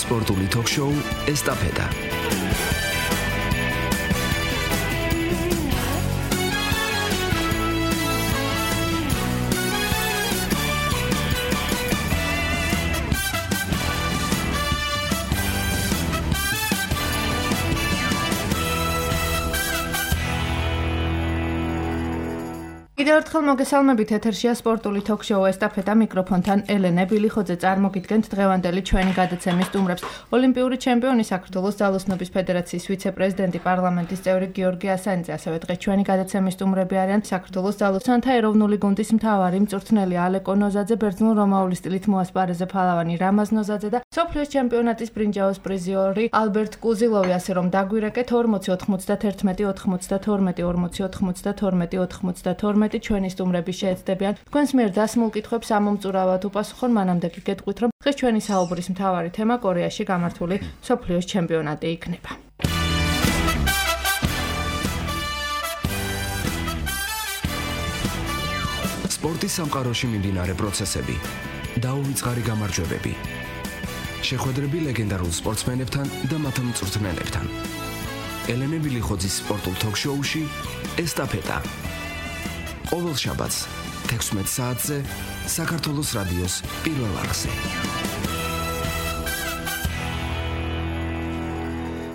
სპორტული ток-შოუ ესტაფეტა. კიდევ ერთხელ მოგესალმებით, ეთერშია სპორტული ток-შოუ ესტაფეტა, მიკროფონთან ელენე ბილიხოძე. წარმოგიდგენთ დღევანდელი ჩვენი გადაცემის სტუმრებს. ოლიმპიური ჩემპიონი, საქართველოს ძალოსნობის ფედერაციის ვიცე-პრეზიდენტი, პარლამენტის წევრი გიორგი ასანიძე, ასევე დღეს ჩვენი გადაცემის სტუმრები არიან საქართველოს ძალოსანთა ეროვნული გუნდის მთავარი მწვრთნელი ალეკო ნოზაძე, ბერძნულ-რომაული სტილით მოასპარეზე ფალავანი რამაზ ნოზაძე და მსოფლიოს ჩემპიონატის ბრინჯაოს პრიზიორი ალბერტ კუზილოვი, ასე რომ დაგვირეკეთ 40-91-40-40-92 ჩვენი სტუმრები შეეცდებიან თქვენს მიერ დასმულ კითხვებს ამომწურავად უპასუხონ. მანამდე გეტყვით, რომ დღეს ჩვენი საუბრის მთავარი თემა კორეაში გამართული მსოფლიოს ჩემპიონატი იქნება. სპორტის სამყაროში მიმდინარე პროცესები, დაუვიწყარი გამარჯვებები, შეხვედრები ლეგენდარულ სპორტსმენებთან და მათ მწვრთნელებთან. ელენე ბილიხოძის სპორტულ ток-შოუში ესტაფეტა. ყოველ შაბათს 16 საათზე საქართველოს რადიოს პირველ არხზე.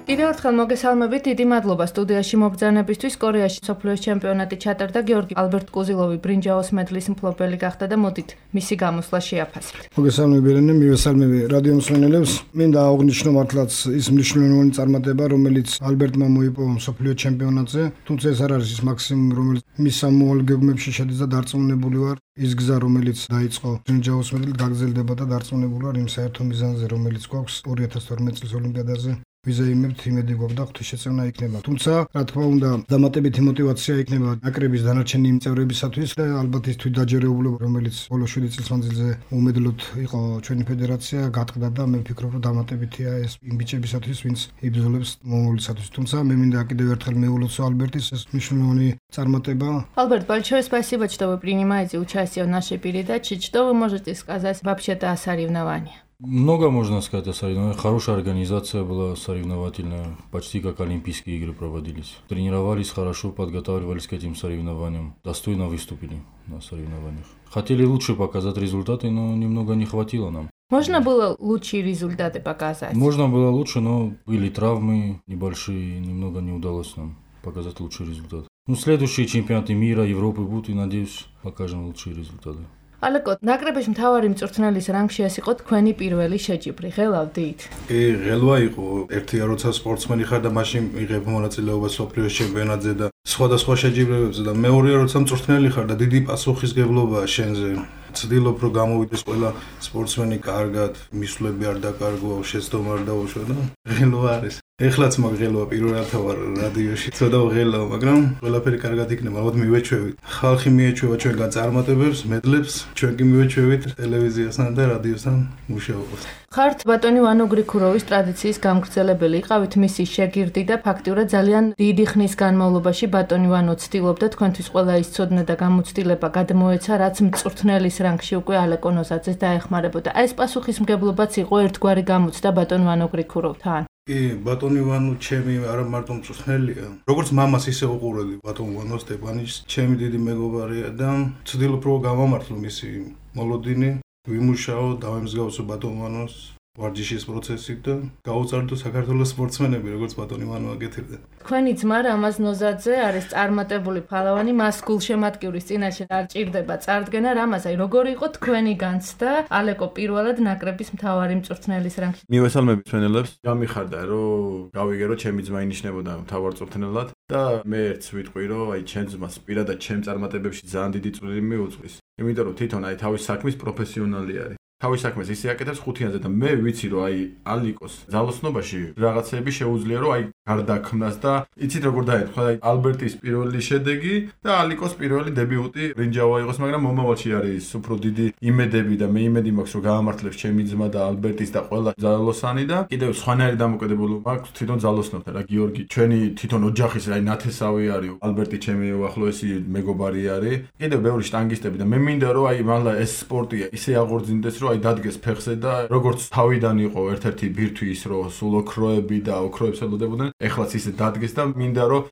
კიდევ ერთხელ მოგესალმებით, დიდი მადლობა სტუდიაში მობრძანებისთვის. კორეაში მსოფლიოს ჩემპიონატი ჩატარდა, გიორგი ალბერტ კუზილოვი ბრინჯაოს მედლის მფლობელი გახდა და მოდით მისი გამოსვლა შეაფასებთ. მოგესალმები ელენე, მივესალმები რადიო მსმენელებს. მინდა აღვნიშნო მართლაც ის მნიშვნელოვანი წარმატება, რომელიც ალბერტმა მოიპოვა მსოფლიო ჩემპიონატზე, თუმცა ეს არ არის ის მაქსიმუმი, რომელიც მის სამოვალ გეგმებში შედის და დარწმუნებული ვარ, ის გზა, რომელიც დაიწყო ბრინჯაოს მედლით, გაგრძელდება და დარწმუნებული ვარ იმ საერთო მიზანზე, რომელიც გვაქვს 2012 წლის ოლიმპიადაზე. ვიზაიმებთ იმედი გვაქვს და ღვთისმშეწევნა იქნება. თუმცა, რა თქმა უნდა, დამატებითი мотиваცია იქნება ნაკრების დანარჩენი წევრებისათვის და ალბათ ის თვითდაჯერებულება, რომელიც ბოლო 7 წლის მანძილზე უმედლოდ იყო ჩვენი ფედერაცია, გატყდა და მე ვფიქრობ, რომ დამატებითია ეს იმ ბიჭებისათვის, ვინც იბრძოლებს მომავლისათვის. თუმცა, მე მინდა კიდევ ერთხელ მეულოცო ალბერტის ეს მნიშვნელოვანი წარმატება. Альберт, большое спасибо, что вы принимаете участие в нашей передаче. Что вы можете сказать вообще-то о соревновании? Много можно сказать о соревнованиях. Хорошая организация была соревновательная. Почти как Олимпийские игры проводились. Тренировались хорошо, подготавливались к этим соревнованиям. Достойно выступили на соревнованиях. Хотели лучше показать результаты, но немного не хватило нам. Можно было лучшие результаты показать? Можно было лучше, но были травмы небольшие, немного не удалось нам показать лучший результат. Следующие чемпионаты мира, Европы будут и, надеюсь, покажем лучшие результаты. ალეკო, ნაკრების მთავარი მწვრთნელის რანგში ეს იყო თქვენი პირველი შეჯიბრი. ღელავდით? ღელვა იყო. ერთია როცა სპორტსმენი ხარ და მაშინ იღებ მონაწილეობა მსოფლიოს ჩემპიონატზე და სხვადასხვა შეჯიბრებებზე და მეორეა როცა მწვრთნელი ხარ და დიდი პასუხისგებლობაა შენზე. ცდილობ რომ გამოვიდეს ყველა სპორტსმენი კარგად, მისვლები არ დაკარგო, შეცდომა არ დაუშვა და ღელვა არის. ეხლაც მაგ ღელვა პირველად ვარ რადიოში. ცოტა ღელვა, მაგრამ ყველაფერი კარგად იქნება. ალბათ მივეჩვევით. ხალხი მიეჩვევა ჩვენგან წარმატებებს, მედლებს, ჩვენ კი მივეჩვევით ტელევიზიასთან და რადიოსთან მუშაობას. ხართ ბატონი ვანო გრიქუროვის ტრადიციის გამგრძელებელი, იყავით მისი შეგირდი და ფაქტიურად ძალიან დიდი ხნის განმავლობაში ბატონი ვანო ცდილობდა თქვენთვის ყველა ის ცოდნა და გამოცდილება გადმოეცა, რაც მწვრთნელის რანგში უკვე ალეკო ნოზაძეს დაეხმარებოდა. ეს პასუხისმგებლობაც იყო ერთგვარი გამოცდა ბატონ ვანო გრიქუროვთან. კი, ბატონი ვანო ჩემი არა მარტო მწვრთნელია. როგორც მამას ისე უყურებდი ბატონ ვანო სტეპანიშს, ჩემი დიდი მეგობარია და ცდილობ რომ გამამართლო მისი მოლოდინი, ვიმუშაო, დავემსგავსო ბატონ ვანოს ვარჯიშის პროცესით და გაუწარდო საქართველოს სპორტსმენები, როგორც ბატონი ვანო აკეთებდა. თქვენი ძმა რამაზ ნოზაძე არის წარმატებული ფალავანი, მას გულშემატკივრის წინაშე არ ჭირდება წარდგენა. რამაზაი, როგორი იყო თქვენი განცდა ალეკო პირველად ნაკრების მთავარი მწვრთნელის რანგში? მივესალმებით მშვენელებს. გამიხარდა რომ გავიგერო ჩემი ძმა ინიშნებოდა მთავარ მწვრთნელად და მე ერთს ვიტყვი რომ აი ჩემ ძმას პირადად ჩემ წარმატებებში ძალიან დიდი წვლილი მიუძღვის. იმიტომ რომ თვითონ აი თავის საქმის პროფესიონალი არის. თავის საქმეს ისე აკეთებს ხუთიანზე და მე ვიცი რომ აი ალიკოს ძალოსნობაში რაღაცები შეუძლია რომ აი გარდაქმნას და იცით როგორ დაეთქვა აი ალბერტის პირველი შედეგი და ალიკოს პირველი დებიუტი ბრინჯაო იყოს, მაგრამ მომავალში არის უფრო დიდი იმედები და მე იმედი მაქვს რომ გაამართლებს ჩემი ძმა და ალბერტის და ყველა ძალოსანი და კიდევ სხვანაირი დამოკიდებულება მაქვს თვითონ ძალოსნებთან რა გიორგი ჩვენი თვითონ ოჯახის აი ნათესავი არის ალბერტი ჩემი უახლოესი მეგობარი არის კიდევ ბევრი შტანგისტები და მე მინდა რომ აი მალე ეს სპორტი ისე აღორძინდეს რომ აი დადგეს ფეხზე და როგორც თავიდან იყო ერთ-ერთი ბირთვი ის რომ სულ ოქროები და ოქროებს ელოდებოდნენ, ეხლაც ისე დადგეს და მინდა რომ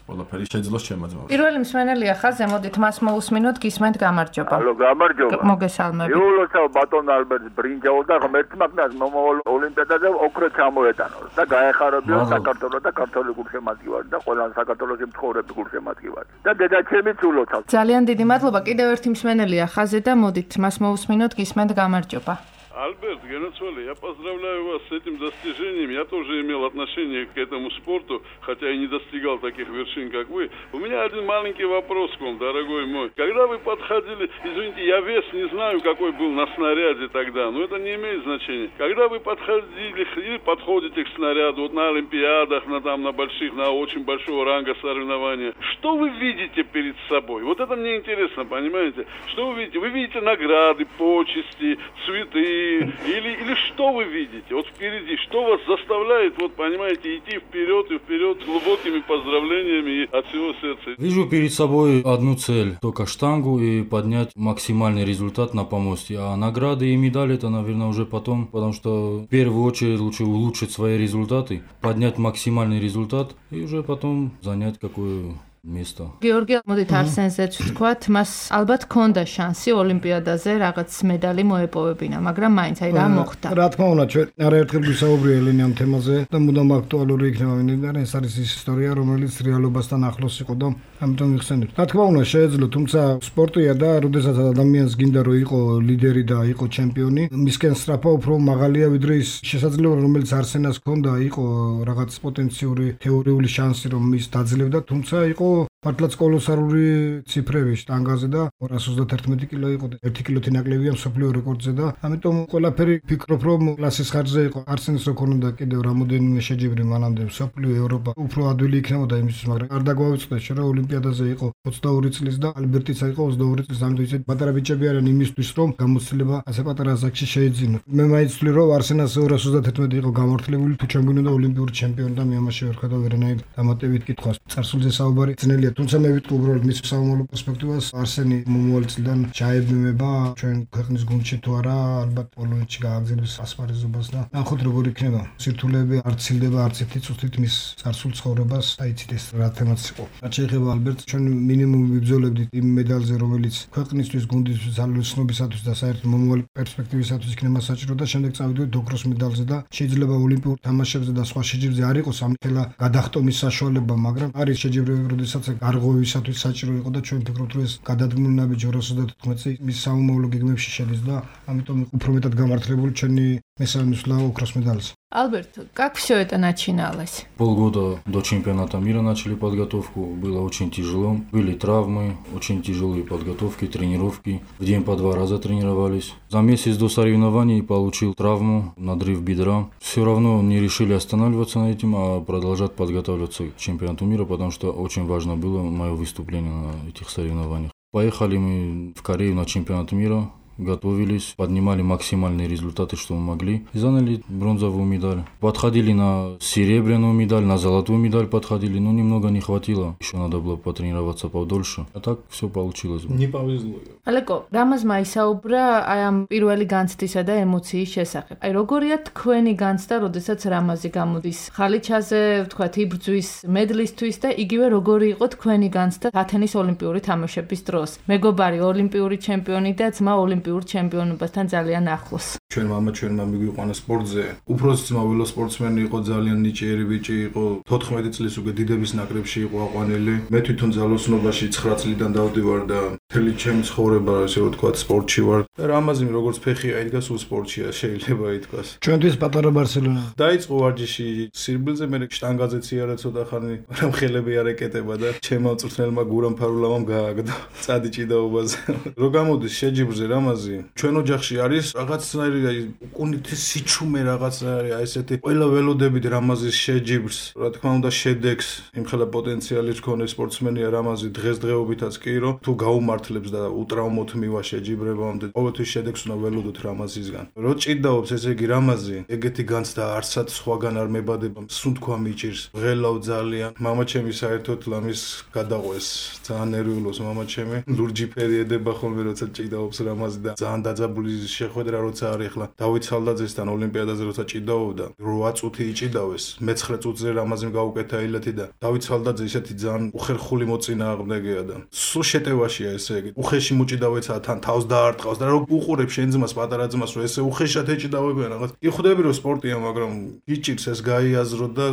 ყველაფერი შეძლოს ჩემაძმა. პირველი მსმენელია ხაზე, მოდით მას მოусმინოთ, გისმენთ გამარჯობა. ალო, გამარჯობა. მოგესალმებით. იულოცავ ბატონ ალბერტ ბრინჯაო და ღმერთმაგნას მომავალ ოლიმპიადაზე ოქრო ჩამოეტანოს და გაეხარებიო საქართველოს და ქართული გულშემატკივარი და ყველა საქართველოს მცხოვრები გულშემატკივარი. და დედაჩემიც ულოცავ. ძალიან დიდი მადლობა. კიდევ ერთი მსმენელია ხაზე და модით მას მოусმინოთ, гисмент გამარჯობა. Альберт, Геноцвали, я поздравляю вас с этим достижением. Я тоже имел отношение к этому спорту, хотя и не достигал таких вершин, как вы. У меня один маленький вопрос к вам, дорогой мой. Когда вы подходили, извините, я вес не знаю, какой был на снаряде тогда, но это не имеет значения. Когда вы подходили или подходите к снаряду, вот на олимпиадах, на больших, на очень большого ранга соревнования, что вы видите перед собой? Вот это мне интересно, понимаете? Что вы видите? Вы видите награды, почести, цветы, или что вы видите? Вот впереди, что вас заставляет, вот понимаете, идти вперед и вперед с глубокими поздравлениями и от всего сердца? Вижу перед собой одну цель, только штангу и поднять максимальный результат на помосте. А награды и медали это, наверное, уже потом, потому что в первую очередь лучше улучшить свои результаты, поднять максимальный результат и уже потом занять какую место. გიორგი, მოდით არსენზეც ვთქვათ, მას ალბათ ჰქონდა შანსი ოლიმპიადაზე რაღაც медали მოეპოვებინა, მაგრამ მაინც აი რა მოხდა. რა თქმა უნდა, ჩვენ არაერთხელ ვისაუბრია ელენე ამ თემაზე და მუდამ აქტუალური იქნება, ვინაიდან ეს არის ის ისტორია, რომელიც რეალობასთან ახლოს იყო და ამიტომ ვიხსენებთ. რა თქმა უნდა, შეეძლო, თუმცა სპორტია და როდესაც ადამიანს გინდა რომ იყო ლიდერი და იყო ჩემპიონი, მისკენ სწრაფა უფრო მაღალია ვიდრე ის შესაძლებლობა, რომელიც არსენას ჰქონდა, იყო რაღაც პოტენციური თეორიული შანსი რომ ის დაძლევდა, თუმცა იყო მართლაც კოლოსალური ციფრები შტანგაზე და 231 კილო იყო და 1 კილოთი ნაკლებია მსოფლიო რეკორდზე და ამიტომ ყველაფერი ფიქრობ რომ კლასის ხარჯზე იყო არსენის რო ქონოდა კიდევ რამოდენიმე შეჯიბრი მანამდე მსოფლიო ევროპა უფრო ადვილი იქნებოდა იმისთვის მაგრამ არ დაგვავიწყდეს რომ ოლიმპიადაზე იყო 22 წლის და ალბერტიც იყო 22 წლის ამიტომ ისეთ პატარა ბიჭები არიან იმისთვის რომ გამოცდილება ასე პატარა ასაკში შეეძინო მე მაინც ვთვლი რომ არსენას 231 იყო გამართლებული თუ ჩემგონოდა ოლიმპიური ჩემპიონი და მე ამაში ვერ ხედავ ვერანაირ დამატებით კითხვას წარსულზე საუბარი ძნელია თუმცა მე ვიტყვი უბრალოდ მის სამომავლო პერსპექტივას არსენი მომავალ წლიდან ჩაებმება ჩვენ ქვეყნის გუნდში თუ არა ალბათ პოლონეთში გააგზავნებს ასპარეზობას და ნახოთ როგორ იქნება სირთულეები არ ცილდება არც ერთი წუთით მის წარსულ ცხოვრებას აიცით ეს რა თემაც იყო რაც შეეხება ალბერტს ჩვენ მინიმუმ ვიბრძოლებდით იმ მედალზე რომელიც ქვეყნისთვის გუნდისთვის ძალოსნობისათვის და საერთოდ მომავალ პერსპექტივისათვის იქნება საჭირო და შემდეგ წავიდეთ ოქროს მედალზე და შეიძლება ოლიმპიურ თამაშებზე და სხვა შეჯიბრზე არ იყოს ამხელა გადახტომის საშუალება მაგრამ არის შეჯიბრები როდესაც გარღვევისათვის საჭირო იყო და ჩვენ ვფიქრობთ რომ ეს გადადგმული ნაბიჯი 214 წელი მის სამომავლო გეგმებში შედის და ამიტომ უფრო მეტად გამართლებული ჩვენი მესამე მსვლა ოქროს медаль. Альберт, как все это начиналось? Полгода до чемпионата мира начали подготовку. Было очень тяжело. Были травмы, очень тяжелые подготовки, тренировки. В день по 2 раза тренировались. За месяц до соревнований получил травму, надрыв бедра. Все равно не решили останавливаться на этим, а продолжать подготавливаться к чемпионату мира, потому что очень важно было мое выступление на этих соревнованиях. Поехали мы в Корею на чемпионат мира. Готовились, поднимали максимальные результаты, что мы могли, и заняли бронзовую медаль. Подходили на серебряную медаль, на золотую медаль подходили, но немного не хватило. Еще надо было потренироваться подольше. А так все получилось. Не повезло. ალეკო, რამაზ მაისაუბრა აი ამ პირველი განცდისა და ემოციის შესახებ. აი როგორია თქვენი განცდა, როდესაც რამაზი გამოდის ხალიჩაზე, ვთქვათ, იბრძვის მედლისთვის და იგივე როგორი იყო თქვენი განცდა ათენის ოლიმპიური თამაშების დროს. მეგობარი ოლიმპიური ჩემპიონი და ძმა ოლიმპიურ ჩემპიონობასთან ძალიან ახლოს. ჩვენ მამა ჩვენმა მიგვიყვანა სპორტზე. უფროსი ძმა ველო სპორტსმენი იყო, ძალიან ნიჭიერი ბიჭი იყო. 14 წლის უკვე დიდების ნაკრებში იყო აყვანილი. მე თვითონ ძალოსნობაში 9 წლიდან დავდივარ და მთელი ჩემი ცხოვრება, ასე რომ ვთქვათ, სპორტში ვარ. და რამაზიმ როგორც ფეხი აიდგა სულ სპორტშია, შეიძლება ითქვას. ჩვენთვის პატარა ბარსელონა. დაიწყო ვარჯიში სირბილზე, მე შტანგაზეც იარა ცოტა ხანი, მაგრამ ხელები არ ეკეტება და ჩემმა მწვრთნელმა გურამ ფარულავამ გააგდა. წადი ჭიდაობაზე. რო გამოდის შეჯიბრზე რამაზი, ჩვენ ოჯახში არის რაღაცნაირი უკუნითი სიჩუმე რაღაცნაირი, აი ესეთი ყველა ველოდებით რამაზის შეჯიბრს, რა თქმა უნდა შედეგს, იმხელა პოტენციალის მქონე სპორტსმენია რამაზი დღესდღეობითაც კი, რომ თუ გაუმართ გამართლებს და უტრაუმოთ მივა შეჯიბრებამდე ყოველთვის შედეგს უნდა ველოდოთ რამაზისგან. რო ჭიდაობს ესე იგი რამაზი, ეგეთი განცდა არსად სხვაგან არ მებადება, სუნთქვა მიჭირს, ღელავ ძალიან. მამაჩემი საერთოდ ლამის გადაყვეს, ძალიან ნერვიულობს მამაჩემი. ლურჯი ფერი ედება ხოლმე როცა ჭიდაობს რამაზი და ძალიან დაძაბული შეხვედრა როცა არის ახლა დავით სალდაძესთან ოლიმპიადაზე როცა ჭიდაობდა 8 წუთი იჭიდავეს, მე-9 წუთზე რამაზიმ გაუკეთა ილეთი და დავით სალდაძე ისეთი ძალიან უხერხული მოწინააღმდეგეა და სულ შეტევაშია ესე იგი. უხეში მოჭიდავეცა თან თავს დაარტყავს და რო უყურებ შენ ძმას პატარა ძმას რომ ესე უხეშად ეჭიდავებიან რაღაც. იხვდები რომ სპორტია, მაგრამ იჭირს ეს გაიაზრო და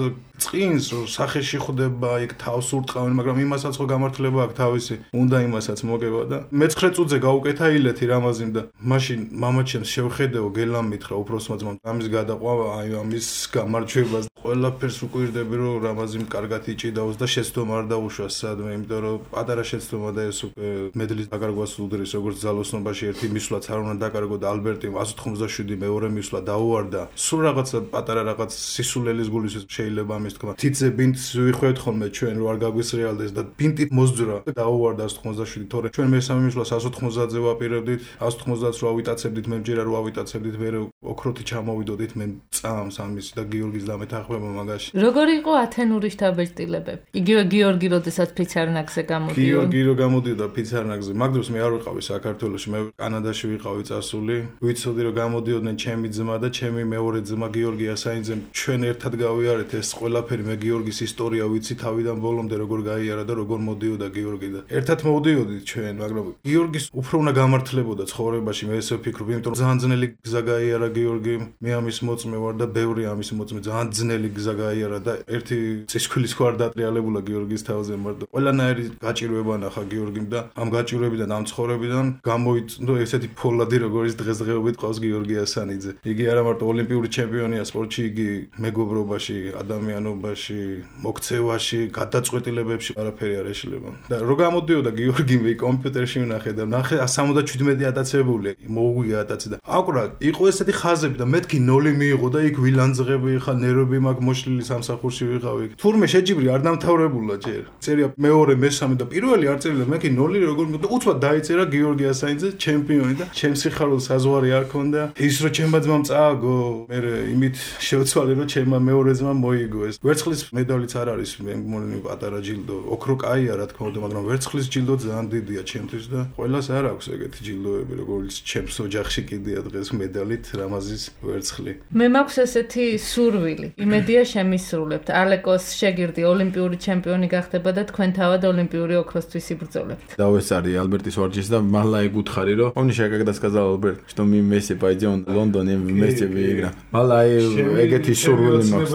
წინს რომ სახეში ხვდება, იქ თავს ურტყავენ, მაგრამ იმასაც ხო გამართლება აქვს თავისი. უნდა იმასაც მოგება და მე-9 წუთზე გაუკეთა ილეთი რამაზიმ და მაშინ მამაჩემს შევხედეო გელამ მითხრა უფროსმა ძმამ ამის გადაყვა აი ამის გამარჯვებას ყველაფერს უკვირდები რომ რამაზიმ კარგად იჭიდავს და შეცდომა არ დაუშვას სადმე, იმიტომ რომ პატარა შეცდომა და ეს უკვე მედლის დაკარგვას უდრის როგორც ძალოსნობაში ერთი მისვლაც არ უნდა დაკარგო და ალბერტი 187 მეორე მისვლა დაუვარდა. სულ რაღაცა პატარა რაღაც სისულელის გულისთვის შეიძლება ამის თქვა. თითზე ბინტს ვიხვევთ ხოლმე ჩვენ რომ არ გაგვისრეალდეს და ბინტი მოსძვრა და დაუვარდა 187 თორე ჩვენ მესამე მისვლას 190-ზე ვაპირებდით, 190-ს რო ავიტაცებდით, მე მჯერა რო ავიტაცებდით, მე ოქროთი ჩამოვიდოდით მე წამს ამის და გიორგის დამეთანხმება მაგაში. როგორი იყო ათენური შთაბეჭდილებები? იგივე გიორგი როდესაც ფიცარნაგზე გამოდიოდა. გიორგი რო გამოდიოდა ფიცარნაგზე, მაგ დროს მე არ ვიყავი საქართველოში, მე კანადაში ვიყავი წასული. ვიცოდი რომ გამოდიოდნენ ჩემი ძმა და ჩემი მეორე ძმა გიორგი ასაინძე. ჩვენ ერთად გავიარეთ ეს ყველაფერი, მე გიორგის ისტორია ვიცი თავიდან ბოლომდე როგორ გაიარა და როგორ მოდიოდა გიორგი და ერთად მოვდიოდით ჩვენ, მაგრამ გიორგის უფრო უნდა გამართლებოდა ცხოვრებაში, მე ესე ვფიქრობ, იმიტომ რომ ძალიან ძნელი გზა გაიარა გიორგიმ, მე ამის მოწმე ვარ და ბევრი ამის მოწმე, ძალიან ძნელი გზა გაიარა და ერთი წისქვილის ხო არ დატრიალებულა გიორგის თავზე, მაგრამ ყველანაირი გაჭირვება ნახა გიორგიმ და ამ გაჭირვებიდან, ამ ცხოვრებიდან გამოიწნო ესეთი ფოლადი, როგორც დღესდღეობით ყავს გიორგი ასანიძე. იგი არა მარტო ოლიმპიური ჩემპიონია სპორტში, იგი მეგობრობაში, ადამიანობაში, მოქცევაში, გადაწყვეტილებებში არაფერი არ ეშლება. და რო გამოდიოდა გიორგი მე კომპიუტერში ვნახე და ნახე 77 ატაცებული, მოუგვია ატაცი და აკვრა იყო ესეთი ხაზები და მეთქი 0 მიიღო და იქ ვილანძღები ხა ნერვები მაგ მოშლილი სამსახურში ვიყავი. თურმე შეჯიბრი არ დამთავრებულა ჯერ. წერია მეორე, მესამე და პირველი არ წერია, მეთქი 0 როგორ და უცბად დაიწერა გიორგი ასაინძე ჩემპიონი და ჩემს სიხარულ საზღვარი არ ქონდა. ის რო ჩემმა ძმამ წააგო, მე იმით შევცვალე რომ ჩემმა მეორე ძმამ მოიგო ეს. ვერცხლის მედალიც არ არის, მე მგონი პატარა ჯილდო. ოქრო კაია რა თქმა უნდა, მაგრამ ვერცხლის ჯილდო ძალიან დიდია ჩემთვის და ყველას არ აქვს ეგეთი ჯილდოები, როგორც ჩემს ოჯახში კიდია დღეს მედალით რამაზის ვერცხლი. მე მაქვს ესეთი სურვილი. იმედია შემისრულებთ. ალეკოს შეგირდი ოლიმპიური ჩემპიონი გახდება და თქვენ თავად ოლიმპიური ოქროსთვის იბრძოლებთ. Давай Альбертис варчись, да, мало и гуд хариро. Помнишь, я когда сказал Альберт, что мы вместе пойдем в Лондон и вместе выиграем. Мало и эгети шурвили макс.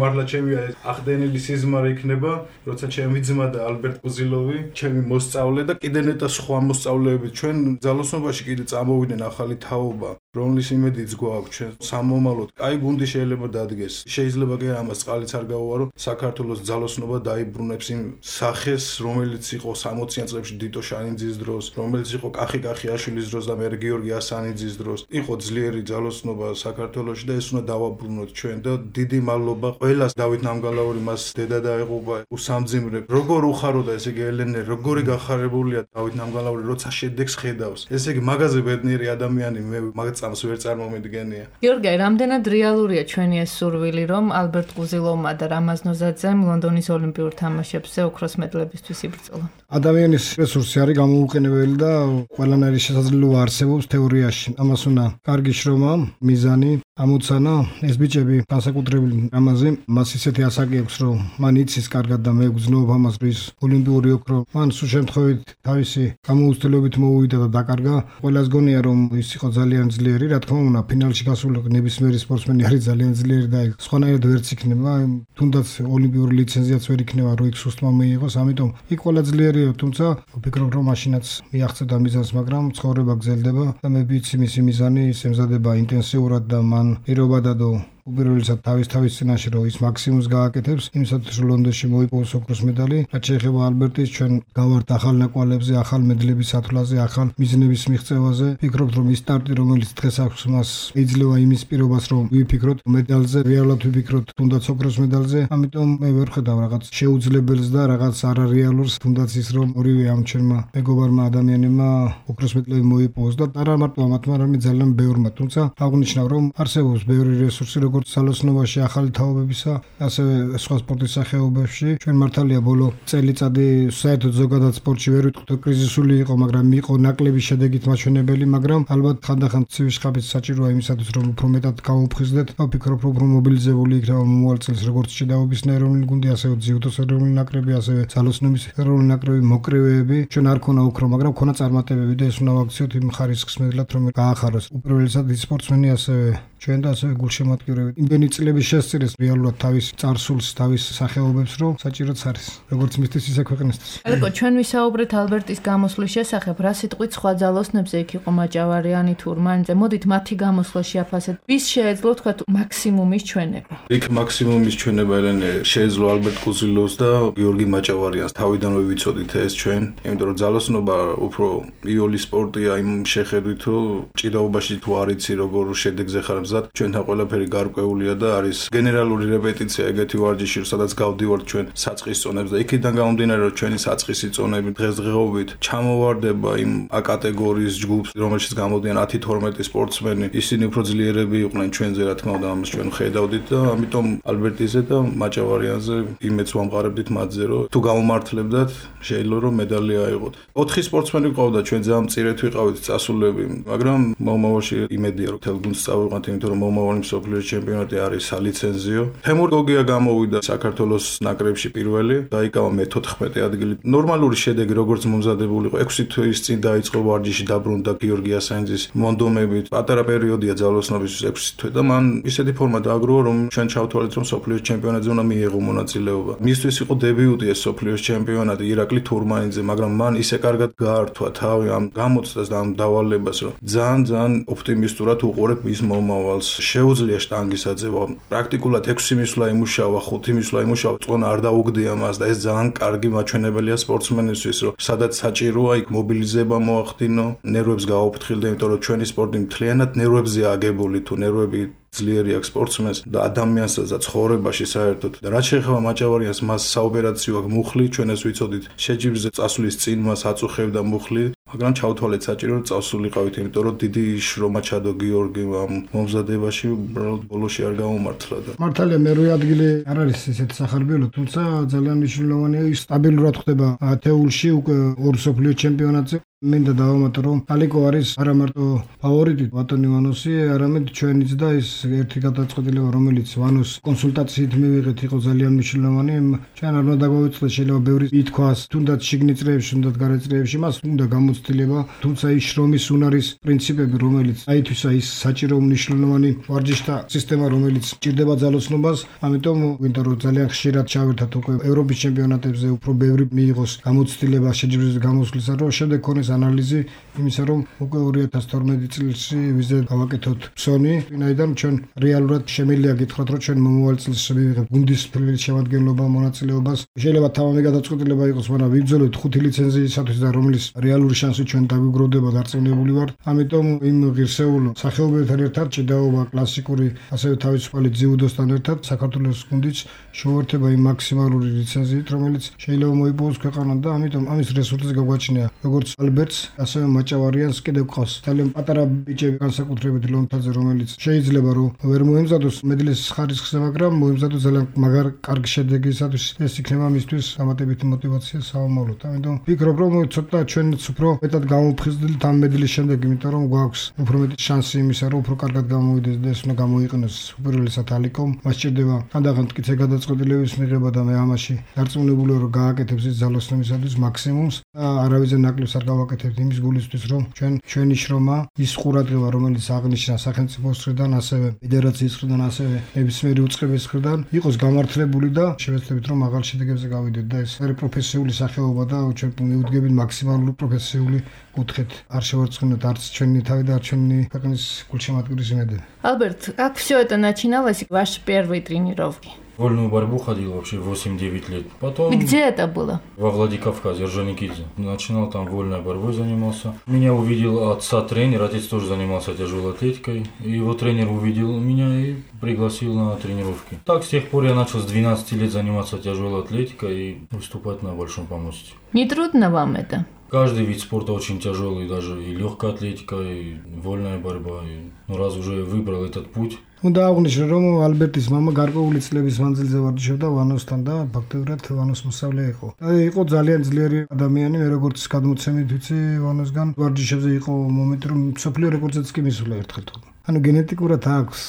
მარლა ჩემი ახდენილი სიზმარი იქნება, როცა ჩემი ძმა და ალბერტ კუზილოვი, ჩემი მოსწავლე და კიდე ნეტა სხვა მოსწავლეები ჩვენ ძალოსნობაში კიდე წამოვიდნენ ახალი თაობა. რომლის იმედიც გვაქვს ჩვენ სამომავლოდ. კაი გუნდი შეიძლება დადგეს. შეიძლება კი ამას წყალიც არ გავუვარო. საქართველოს ძალოსნობა დაიბრუნებს იმ სახეს, რომელიც იყო 60-იან წლებში დიტო შანიძის დროს, რომელიც იყო კახაშვილის დროს და მე გიორგი ასანიძის დროს. იყო ძლიერი ძალოსნობა საქართველოში და ეს უნდა დავაბრუნოთ ჩვენ და დიდი მადლობა ყველას. დავით ნამგალაური მას დედა დაეღუპა, უსამძიმრე. როგორ უხაროდა ესე იგი ელენე, როგორი გახარებულია დავით ნამგალაური, როცა შედეგს ხედავს. ესე იგი მაგაზე ბედნიერი ადამიანი მე მაგ წამს ვერ წარმომედგენია. გიორგი, რამდენად რეალურია ჩვენი ეს სურვილი, რომ ალბერტ კუზილოვმა და რამაზ ნოზაძემ ლონდონის ოლიმპიურ თამაშებზე ოქროს მედლებისთვის იბრძოლონ? ადამიანის რესურსი არის გამოუყენებელი და ყველანაირი შესაძლებლობა არსებობს თეორიაში. ამას უნდა კარგი შრომა, მიზანი, ამოცანა. ეს ბიჭები განსაკუთრებული რამაზი, მას ისეთი ასაკი აქვს, რომ მან იცის კარგად და მე ვგზნობ ამას, რომ ის ოლიმპიური ოქრო მან სულ შემთხვევით თავისი გამოუცდელობით მოუვიდა და დაკარგა. ყველას გონია, რომ ის იყო ძალიან ძლიერი, რა თქმა უნდა, ფინალში გასული ნებისმიერი სპორტსმენი არის ძალიან ძლიერი და სხვანაირად ვერც იქნება, თუნდაც ოლიმპიური ლიცენზიაც ვერ იქნება, რომ იქ სუსტმა მიიღოს, ამიტომ იქ ყველა ძლიერია, თუმცა ვფიქრობ, რომ მაშინაც მიაღწევდა მიზანს, მაგრამ ცხოვრება გრძელდება და მე ვიცი მისი მიზანი ის ემზადება ინტენსიურად და მან პირობა დადო უპირველესად თავის წინაშე რომ ის მაქსიმუმს გააკეთებს, იმისათვის რომ ლონდონში მოიპოვოს ოქროს медаლი. რაც შეეხება ალბერტის, ჩვენ გავართ ახალ ნაკვალებზე, ახალ მედლების სათვლაზე, ახალ მიზნების მიღწევაზე. ვფიქრობთ, რომ ის სტარტი, რომელიც დღეს აქვს მას, იძლევა იმის პირობას, რომ ვიფიქროთ медаლზე, რეალურად ვიფიქროთ თუნდაც ოქროს медаლზე. ამიტომ მე ვერ ხედავ რაღაც შეუძლებელს და რაღაც არარეალურს, თუნდაც ის რომ ორივე ამ ჩვენმა მეგობარმა ადამიანებმა ოქროს медаლები მოიპოვოს და არა მარტო ამათმა, არამედ ძალიან ბევრმა. თუმცა აღნიშნავ, რომ არსებობს ბევრი რესურსი, როგორც ძალოსნობაში, ახალი თაობებისა, ასევე სხვა სპორტის სახეობებში. ჩვენ მართალია ბოლო წელიწადი საერთოდ ზოგადად სპორტში ვერ ვიტყვით, კრიზისული იყო, მაგრამ იყო ნაკლები შედეგით მაჩვენებელი, მაგრამ ალბათ ხანდახან ცივი შხაპიც საჭიროა იმისათვის, რომ უფრო მეტად გავუფხიზდეთ. ვფიქრობ, რომ უფრო მობილიზებული იქნება მომავალ წელს როგორც ჭიდაობის ეროვნული გუნდი, ასევე ძიუდოს ეროვნული ნაკრები, ასევე ძალოსნობის ეროვნული ნაკრები, მოკრივეები. ჩვენ არ ქონა ოქრო, მაგრამ ქონა წარმატებები და ეს უნდა ვაქციოთ იმ ხარისხს მედლად, რომ გაახაროს. უპირველესად სპორტსმენი, ასევე ჩვენ და ასევე გულშემატკივრები. იმდენი წლების შესწირეს რეალურად თავის წარსულს, თავის სახეობებს, რომ საჭიროც არის. როგორც მისთვის, ისე ქვეყნისთვის. ალეკო, ჩვენ ვისაუბრეთ ალბერტის გამოსვლის შესახებ, რა სიტყვით სხვა ძალოსნებზე იქ იყო მაჭავარიანი თუ რმანძე. მოდით მათი გამოსვლა შეაფასეთ. ვის შეეძლო თქვა მაქსიმუმის ჩვენება? იქ მაქსიმუმის ჩვენება ელენე შეეძლო ალბერტ კუზილოვს და გიორგი მაჭავარიანს. თავიდანვე ვიცოდით ეს ჩვენ, იმიტომ რომ ძალოსნობა უფრო იოლი სპორტია იმ შეხედვით, რომ ჭიდაობაში თუ არ იცი როგორ შედეგზე ხარ მზად, ჩვენთან ყველაფერი გარკვეულია და არის გენერალური რეპეტიცია ეგეთი ვარჯიში, სადაც გავდივართ ჩვენ საწყის წონებს და იქიდან გამომდინარე, რომ ჩვენი საწყისი წონები დღესდღეობით ჩამოვარდება იმ A კატეგორიის ჯგუფს, რომელშიც გამოდიან 10-12 სპორტსმენი, ისინი უფრო ძლიერები იყვნენ ჩვენზე, რა თქმა უნდა, ამას ჩვენ ხედავდით და ამიტომ ალბერტიზე და მაჭავარიანზე იმედს ვამყარებდით მათზე, რომ თუ გამომართლებდათ, შეიძლება რომ медаლი აიღოთ. 4 სპორტსმენი ყავდა, ჩვენ ძალიან მწირეთ ვიყავით წასულები, მაგრამ მომავალში იმედია, რომ თელ გუნდს წავიყვანთ, იმიტომ რომ მომავალი მსოფლიოს ჩემპიონატი არის სალიცენზიო. თემურ გოგია გამოვიდა საქართველოს ნაკრებში პირველი, დაიკავა მე-14 ადგილი. ნორმალური შედეგი, როგორც მომზადებული იყო, 6 თვის წინ დაიწყო ვარჯიში, დაბრუნდა გიორგი ასანიძის მონდომებით. პატარა პერიოდია ძალოსნობისთვის 6 თვე და მან ისეთი ფორმა დააგროვა, რომ ჩვენ ჩავთვალეთ, რომ მსოფლიოს ჩემპიონატზე უნდა მიიღო მონაწილეობა. მისთვის იყო დებიუტი ეს მსოფლიოს ჩემპიონატი ირაკლი თურმანიძე, მაგრამ მან ისე კარგად გაართვა თავი ამ გამოცდას და ამ დავალებას, რომ ძალიან ოპტიმისტურად უყურებ მის მომავალს. შეუძლია შტანგის აძევა. პრაქტიკულად 6 მისვლა იმუშავა, 5 მისვლა იმუშავა, წონა არ დაუგდია მას და ეს ძალიან კარგი მაჩვენებელია სპორტსმენისთვის, რომ სადაც საჭიროა, იქ მობილიზება მოახდინო, ნერვებს გააუფრთხილდა, იმიტომ რომ ჩვენი სპორტი მთლიანად ნერვებზეა აგებული, თუ ნერვები ძლიერი აქვს სპორტსმენს და ადამიანსაც და ცხოვრებაში საერთოდ. და რაც შეეხება მაჭავარიანს, მას საოპერაციო აქვს მუხლი, ჩვენ ეს ვიცოდით, შეჯიბრზე წასვლის წინ მას აწუხებდა მუხლი, მაგრამ ჩავთვალეთ საჭირო რომ წასულიყავით, იმიტომ რომ დიდი შრომა ჩადო გიორგი ამ მომზადებაში, უბრალოდ ბოლოში არ გამომართლა და მართალია მერვე ადგილი არ არის ესეთი სახარბიელო, თუმცა ძალიან მნიშვნელოვანია ის სტაბილურად ხდება ათეულში უკვე ორ მსოფლიო ჩემპიონატზე. მინდა დავამატო, რომ ალიკო არის არა მარტო ფავორიტი ბატონ ივანოსი, არამედ ჩვენიც და ის ერთი გადაწყვეტილება, რომელიც ვანოს კონსულტაციით მივიღეთ, იყო ძალიან მნიშვნელოვანი. ჩვენ არ უნდა დაგვავიწყდეს, შეიძლება ბევრი ითქვას, თუნდაც შიგნით წრეებში, თუნდაც გარეთ წრეებში, მას უნდა გამოცდილება, თუმცა ის შრომის უნარის პრინციპები, რომელიც აითვისა ის საჭირო მნიშვნელოვანი ვარჯიშთა სისტემა, რომელიც ჭირდება ძალოსნობას, ამიტომ ვინდა რომ ძალიან ხშირად ჩავერთათ უკვე ევროპის ჩემპიონატებზე უფრო ბევრი მიიღოს გამოცდილება შეჯიბრზე გამოსვლისა, რომ შემდეგ ქონეს ანალიზი იმისა, რომ უკვე 2012 წელს ვიზე გავაკეთოთ ფსონი, ვინაიდან ჩვენ რეალურად შემიძლია გითხრათ, რომ ჩვენ მომავალ წელს მივიღებთ გუნდის პირველ შემადგენლობა მონაწილეობას. შეიძლება თავამე გადაწყვეტილება იყოს, მაგრამ ვიბრძოლოთ 5 ლიცენზიისათვის და რომლის რეალური შანსი ჩვენ დაგვიგროვდება, დარწმუნებული ვართ. ამიტომ იმ ღირსეულ სახეობებთან ერთად ჭიდაობა კლასიკური, ასევე თავისუფალი ძიუდოსთან ერთად საქართველოს გუნდიც შეუერთება იმ მაქსიმალური ლიცენზიით, რომელიც შეიძლება მოიპოვოს ქვეყანამ და ამიტომ ამის რესურსი გაგვაჩნია, როგორც ალბერტს, ასევე მაჭავარიანს კიდევ ყავს. ძალიან პატარა ბიჭები განსაკუთრებით ლონთაძე, რომელიც შეიძლება რომ ვერ მოემზადოს მედლის ხარისხზე, მაგრამ მოემზადოს ძალიან მაგარ კარგი შედეგისათვის, ეს იქნება მისთვის დამატებითი мотиваცია საომავლოდ. ამიტომ ვფიქრობ, რომ ცოტა ჩვენც უფრო მეტად გამოფხიზდით ამ მედლის შემდეგ, იმიტომ რომ გვაქვს უფრო მეტი შანსი იმისა, რომ უფრო კარგად გამოვიდეს და ეს უნდა გამოიყენოს უპირველესად ალიკომ. მას სჭირდება თანდახან მტკიცე გადაწყვეტილების მიღება და მე ამაში დარწმუნებულია, რომ გააკეთებს ის ძალოსნობისათვის მაქსიმუმს და არავის ნაკლებს არ გავაკეთებს. გავაკეთებთ იმის გულისთვის, რომ ჩვენი შრომა ის ყურადღება, რომელიც აღნიშნა სახელმწიფოს მხრიდან, ასევე ფედერაციის მხრიდან, ასევე ნებისმიერი უწყების მხრიდან, იყოს გამართლებული და შევეცდებით, რომ მაღალ შედეგებზე გავიდეთ და ეს არის პროფესიული სახეობა და ჩვენ მივუდგებით მაქსიმალური პროფესიული კუთხით. არ შევარცხნოთ арц ჩვენი თავი და ჩვენი ქვეყნის გულშემატკივრის იმედები. Альберт, как все это начиналось, ваши первые тренировки? Вольную борьбу ходил вообще 8-9 лет. Потом И где это было? во Владикавказе, Орджоникидзе. Начинал там вольной борьбой занимался. Меня увидел отца тренер, отец тоже занимался тяжелой атлетикой. И его тренер увидел меня и пригласил на тренировки. Так, с тех пор я начал с 12 лет заниматься тяжелой атлетикой и выступать на большом помосте. Не трудно вам это? Каждый вид спорта очень тяжелый, даже и легкая атлетика, и вольная борьба. Раз уже выбрал этот путь. უნდა აღვნიშნო, რომ ალბერტის მამა გარკვეული წლების მანძილზე ვარჯიშობდა ვანოსთან და ფაქტობრივად ვანოს მოსწავლე იყო. იყო ძალიან ძლიერი ადამიანი, მე როგორც გადმოცემით ვიცი, ვანოსგან ვარჯიშებზე იყო მომენტი, რომ მსოფლიო რეკორდზეც კი მისულა ერთხელ თუ. ანუ генетикურად აქვს,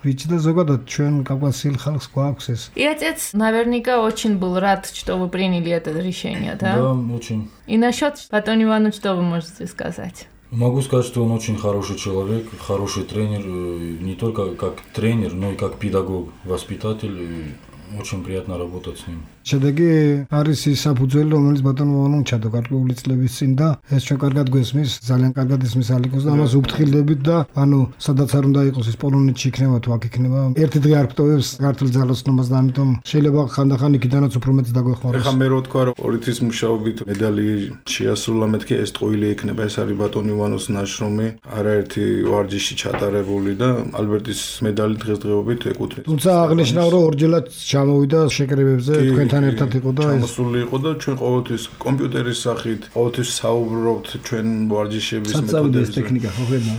ვიცი და зогадат ჩვენ кавказских ხალხს გვაქვს ეს. И отец наверняка очень был рад, что вы приняли это решение, да? Да, очень. И насчет Платона Ивановича, что вы можете сказать? Могу сказать, что он очень хороший человек, хороший тренер, не только как тренер, но и как педагог, воспитатель. Очень приятно работать с ним. შედეგი არის ის საფუძველი, რომელიც ბატონმა ვანომ ჩადო გარკვეული წლების წინ და ეს ჩვენ კარგად გვესმის, ძალიან კარგად ისმის ალიკოს და ამას უფრთხილდებით და ანუ სადაც არ უნდა იყოს ეს პოლონეთში იქნება თუ აქ იქნება. ერთი დღე არ გტოვებს ქართულ ძალოსნობას და ამიტომ შეიძლება ხანდახან იქიდანაც უფრო მეც დაგვეხმაროს. ეხლა მე რო თქვა რომ პოლიტის მუშაობით медали შეასრულა მეთქი ეს ტყუილი იქნება, ეს არის ბატონ ივანოს ნაშრომი, არაერთი ვარჯიში ჩატარებული და ალბერტის медали დღესდღეობით ეკუთვნის. თუმცა აღნიშნავ რომ ორჯერად ჩამოვიდა შეკრებებზე თქვენ ერთად იყო და ჩამოსული იყო და ჩვენ ყოველთვის კომპიუტერის სახით ყოველთვის საუბრობთ ჩვენ ვარჯიშების მეთოდებზე. საწავლის ტექნიკა ხო ხედავ.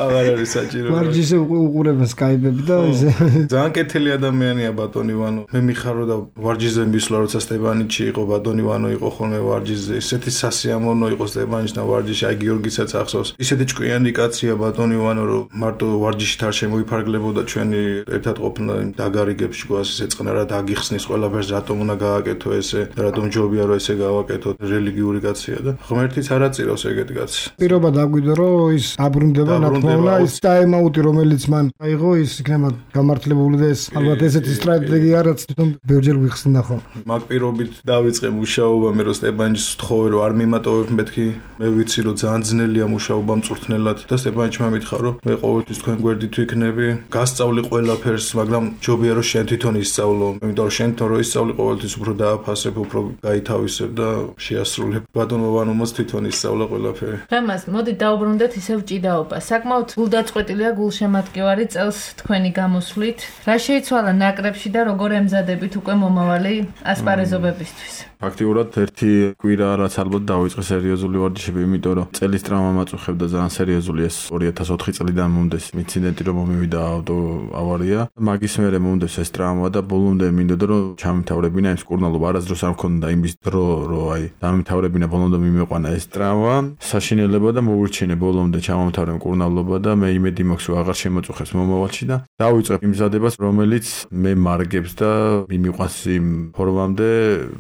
აღარ არის საჭირო. ვარჯიშზე უყურებენ სკაიპები და ისე. ძალიან კეთილი ადამიანია ბატონ ივანო. მე მიხარო და ვარჯიშზე მისვლა როცა სტეპანიჩი იყო, ბატონ ივანო იყო ხოლმე ვარჯიშზე. ისეთი სასიამოვნო იყო სტეპანიჩი და ვარჯიში, აი გიორგისაც ახსოვს. ისეთი ჭკვიანი კაცია ბატონ ივანო, რომ მარტო ვარჯიშით არ შემოიფარგლებოდა ჩვენი ერთად ყოფნა დაგარიგებში გვას ესე წყნარად აგიხსნის ყველაფერს რატომ უნდა გააკეთო ესე და რატომ ჯობია რომ ესე გავაკეთო რელიგიური კაცია და ღმერთიც არ აწირავს ეგეთ კაცს. პირობა დაგვიდო რომ ის აბრუნდება ნათქვამლა ის ტაიმაუტი რომელიც მან აიღო ის იქნება გამართლებული და ეს ალბათ ესეთი სტრატეგია რაც თვითონ ბევრჯერ ვიხსნა ხო. მაგ პირობით დავიწყე მუშაობა მე რომ სტეპანიჩს ვთხოვე რომ არ მიმატოვებ მეთქი მე ვიცი რომ ძალიან ძნელია მუშაობა მწვრთნელად და სტეპანიჩმა მითხრა რომ მე ყოველთვის თქვენ გვერდით ვიქნები გასწავლი ყველაფერს მაგრამ ჯობია რომ შენ თვითონ ისწავლო იმიტომ რომ შენ თვითონ რო ისწავლი ყოველთვის უფრო დააფასებ უფრო გაითავისებ და შეასრულებ ბატონო ვანომას თვითონ ისწავლა ყველაფერი. რამას მოდი დაუბრუნდეთ ისევ ჭიდაობა. საკმაოდ გულდაწყვეტილია გულშემატკივარი წელს თქვენი გამოსვლით. რა შეიცვალა ნაკრებში და როგორ ემზადებით უკვე მომავალი ასპარეზობებისთვის? ფაქტიურად ერთი კვირა რაც ალბათ დავიწყე სერიოზული ვარჯიშები, იმიტომ რომ წელის ტრავმა მაწუხებდა ძალიან სერიოზული ეს 2004 წლიდან მომდეს ინციდენტი რომ მომივიდა ავტო ავარია. მაგის მერე მომდეს ეს ტრავმა და ბოლომდე მინდოდა რომ ჩამთავრებინა ეს კურნალობა. არასდროს არ მქონდა იმის დრო რომ აი დამთავრებინა ბოლომდე მიმეყვანა ეს ტრავმა. საშინელება და მოვირჩინე ბოლომდე ჩამომთავრე კურნალობა და მე იმედი მაქვს რომ აღარ შემოწუხებს მომავალში და დავიწყებ იმზადებას რომელიც მე მარგებს და მიმიყვანს იმ ფორმამდე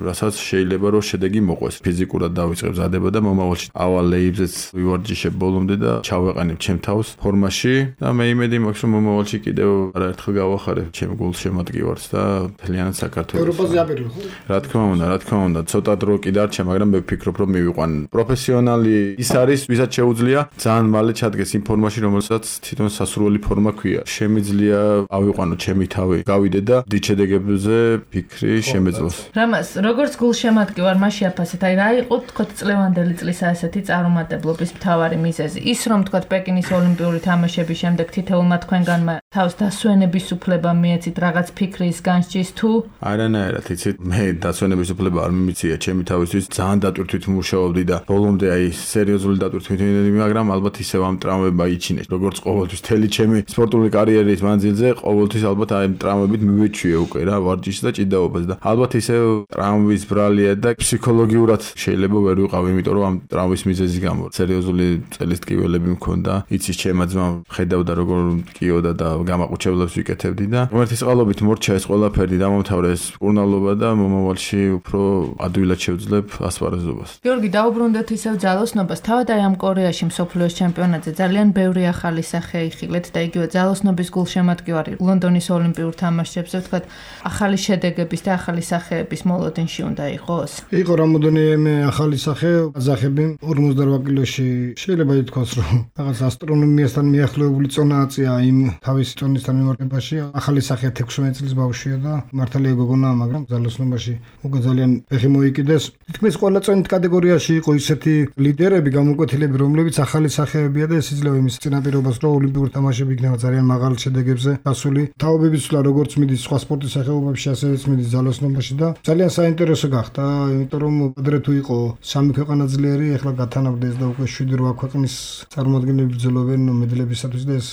რასაც შეიძლება რომ შედეგი მოყვეს. ფიზიკურად დავიწყებ ზადება და მომავალში ავალ ლეიბზეც ვივარჯიშებ ბოლომდე და ჩავეყანებ ჩემ თავს ფორმაში და მე იმედი მაქვს რომ მომავალში კიდევ არაერთხელ გავახარებ ჩემ გულშემატკივარს და მთლიანად საქართველოს. ევროპაზე აპირებ ხო? რა თქმა უნდა, ცოტა დრო კი დარჩა, მაგრამ მე ვფიქრობ რომ მივიყვან. პროფესიონალი ის არის, ვისაც შეუძლია ძალიან მალე ჩადგეს იმ ფორმაში, რომელსაც თვითონ სასურველი ფორმა ქვია. შემიძლია ავიყვანო ჩემი თავი, გავიდე და დიდ შედეგებზე ფიქრი შემეძლოს. რამას, როგორც გულშემატკივარმა შეაფასეთ, აი რა იყო თქოთ წლევანდელი წლის ასეთი წარუმატებლობის მთავარი მიზეზი? ის რომ თქოთ პეკინის ოლიმპიური თამაშების შემდეგ თითოეულმა თქვენგანმა თავს დასვენების უფლება მიეცით რაღაც ფიქრის განსჯის თუ არანაირად იცით მე დასვენების უფლება არ მიმიცია ჩემი თავისთვის ძალიან დატვირთვით მუშაობდი და ბოლომდე აი სერიოზული დატვირთვით იმედი მაგრამ ალბათ ისევ ამ ტრამვებმა იჩინეს როგორც ყოველთვის თელი ჩემი სპორტული კარიერის მანძილზე ყოველთვის ალბათ აი ტრამვებით მივეჩვიე უკვე რა ვარჯიშს და ჭიდაობას და ალბათ ისევ ტრამვის ბრალ მაღალია და ფსიქოლოგიურად შეიძლება ვერ ვიყავ, იმიტომ რომ ამ ტრავმის მიზეზის გამო სერიოზული წელის ტკივილები მქონდა. იცის ჩემმა ძმამ ხედავდა როგორ ტკიოდა და გამაყუჩებლებს ვიკეთებდი და ღმერთის წყალობით მორჩა ეს ყველაფერი დამამთავრეს კურნალობა და მომავალში უფრო ადვილად შევძლებ ასპარეზობას. გიორგი, დაუბრუნდეთ ისევ ძალოსნობას. თავად აი ამ კორეაში მსოფლიოს ჩემპიონატზე ძალიან ბევრი ახალი სახე იხილეთ და იგივე ძალოსნობის გულშემატკივარი ლონდონის ოლიმპიურ თამაშებზე ვთქვათ, ახალი შედეგების და ახალი სახეების მოლოდინში უნდა იყოს. იყო რამოდენიმე ახალი სახე, ყაზახები 48 კილოში შეიძლება ითქვას, რომ რაღაც ასტრონომიასთან მიახლოებული წონა აწია იმ თავის წონისთან მიმართებაში. ახალი სახე 16 წლის ბავშვია და მართალია გოგონაა, მაგრამ ძალოსნობაში უკვე ძალიან ფეხი მოიკიდეს. თითქმის ყველა წონით კატეგორიაში იყო ისეთი ლიდერები, გამოკვეთილები, რომლებიც ახალი სახეებია და ეს იძლევა იმის წინაპირობას, რომ ოლიმპიურ თამაშები იქნება ძალიან მაღალ შედეგებზე გასული. თაობების ცვლა როგორც მიდის სხვა სპორტის სახეობებში, ასეც მიდის ძალოსნობაში და ძალიან საინტერესო გახდა, იმიტომ რომ ადრე თუ იყო 3 ქვეყანა ძლიერი, ეხლა გათანაბდეს და უკვე 7-8 ქვეყნის წარმომადგენლები ბრძოლობენ მედლებისათვის და ეს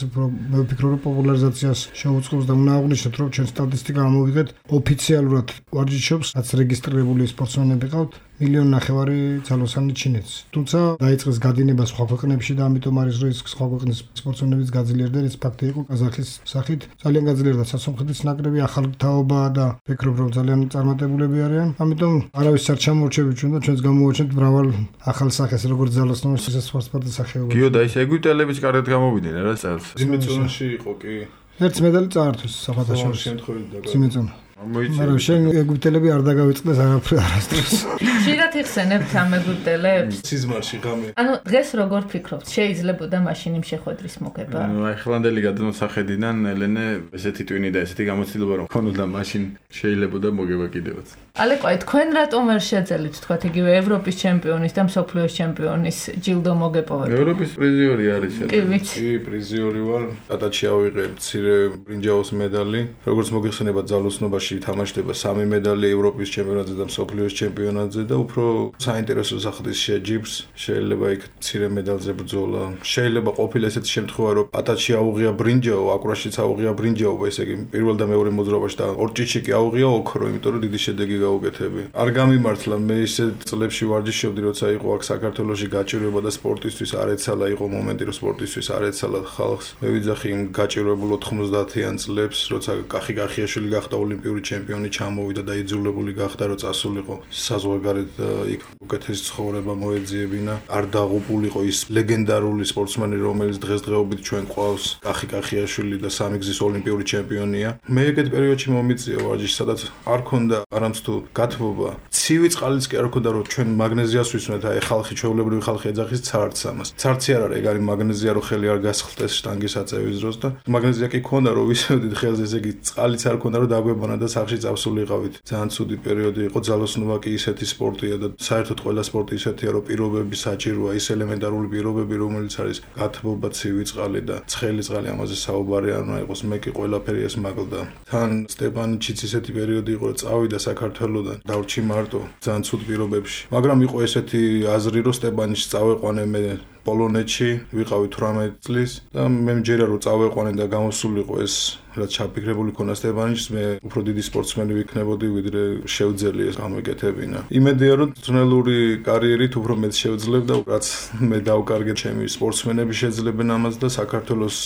მე ვფიქრობ, რომ პოპულარიზაციას შეუწყობს და უნდა აღვნიშნოთ, რომ ჩვენ სტატისტიკა ამოვიღეთ ოფიციალურად ვარჯიშობს, რაც რეგისტრირებული სპორტსმენები ყავთ. 1.5 მილიონ ძალოსანი ჩინეთს. თუმცა დაიწყეს გადინება სხვა ქვეყნებში და ამიტომ არის რომ სხვა ქვეყნის სპორტსმენებიც გაძლიერდნენ. ეს ფაქტი იყო ყაზახის სახით. ძალიან გაძლიერდა სასონხეთის ნაკრები, ახალი თაობაა და ვფიქრობ, რომ ძალიან წარმატებულები არიან. ამიტომ არავის არ ჩამორჩებით ჩვენ და ჩვენს გამოვაჩენთ მრავალ ახალ სახეს, როგორც ძალოსნობის, ისე სხვა სპორტის სახეობებში. გიო და ის ეგვიპტელებიც კარგად გამოვიდნენ რა წელს. ძიმეწონაში იყო კი. ერთ მედალი წაართვეს საფათაშორის შემთხვევით ძიმეწონა. მაგრამ შენ ეგვიპტელები არ დაგავიწყდეს არასდროს. ხშირად იხსენებთ ამ ეგვიპტელებს? სიზმარში ღამე. ანუ დღეს როგორ ფიქრობთ, შეიძლებოდა მაშინ იმ შეხვედრის მოგება? აი ხლანდელი გადმოსახედიდან ელენე ესეთი ტვინი და ესეთი გამოცდილება რომ ქონოდა მაშინ შეიძლებოდა მოგება კიდევაც. ალეკო, თქვენ რატომ ვერ შეძელით, თქვათ, იგივე ევროპის ჩემპიონის და მსოფლიოს ჩემპიონის ჯილდო მოგეპოვეთ? ევროპის პრიზიორი არის კი, ვიცი. კი, პრიზიორი ვარ. ატაჩი ავიღე მცირე ბრინჯაოს მედალი. როგორც მოგეხსენებათ, ძალოსნობაში თამაშდება 3 მედალი ევროპის ჩემპიონატზე და მსოფლიოს ჩემპიონატზე და უფრო საინტერესო სახდის შეჯიბს. შეიძლება იქ მცირე მედალზე ბრძოლა. შეიძლება ყოფილა ესეთი შემთხვევა, რომ ატაჩი აუღია ბრინჯაო, აკვრაშიც აუღია ბრინჯაო, ესე იგი პირველ და მეორე მოძრაობაში და ორჭიჩი კი აუღია ოქრო, იმიტომ რომ დიდი შედეგი გაუკეთები. არ გამიმართლა, მე ისე წლებში ვარჯიშობდი, როცა იყო აქ საქართველოში გაჭირვება და სპორტისთვის არ ეცალა, იყო მომენტი, რომ სპორტისთვის არ ეცალა ხალხს. მე ვიძახი იმ გაჭირვებულ 90-იან წლებს, როცა კახი-კახიაშვილი გახდა ოლიმპიური ჩემპიონი, ჩამოვიდა და იძულებული გახდა, რომ წასულიყო საზღვარგარეთ და იქ უკეთესი ცხოვრება მოეძიებინა. არ დაღუპულიყო ის ლეგენდარული სპორტსმენი, რომელიც დღესდღეობით ჩვენ ყავს, კახი-კახიაშვილი და სამი გზის ოლიმპიური ჩემპიონია. მე ეგეთ პერიოდში მომიწია ვარჯიში, სადაც არ ქონდა არამც თუ გათბობა. ცივი წყალიც კი არ ქონდა, რომ ჩვენ მაგნეზიას ვისმენთ, აი ხალხი, ჩვეულებრივი ხალხი ეძახის ცარცს ამას. ცარცი არ არის, ეგ არის მაგნეზია, რომ ხელი არ გასხლტეს შტანგის აწევის დროს და მაგნეზია კი ქონდა, რომ ვისმენთ ხელზე, ესე იგი წყალიც არ ქონდა, რომ დაგვებანა და სახში წავსულიყავით. ძალიან ცუდი პერიოდი იყო, ძალოსნობა კი ისეთი სპორტია და საერთოდ ყველა სპორტი ისეთია, რომ პირობები საჭიროა, ის ელემენტარული პირობები, რომელიც არის გათბობა, ცივი წყალი და ცხელი წყალი, ამაზე საუბარი არ უნდა იყოს. მე კი ყველაფერი ეს მაგლდა. თან სტეპანიჩიც ისეთი პერიოდი იყო, რომ წავიდა საქართველოდან, დავრჩი მარტო, ძალიან ცუდ პირობებში. მაგრამ იყო ესეთი აზრი, რომ სტეპანიჩს წავეყვანე მე პოლონეთში, ვიყავი 18 წლის და მე მჯერა რომ წავეყვანე და გამოსულიყო ეს რაც ჩაფიქრებული ქონა სტეპანიჩს, მე უფრო დიდი სპორტსმენი ვიქნებოდი, ვიდრე შევძელი ეს გამეკეთებინა. იმედია რომ ძნელური კარიერით უფრო მეც შევძლებ და რაც მე დავკარგე, ჩემი სპორტსმენები შეძლებენ ამას და საქართველოს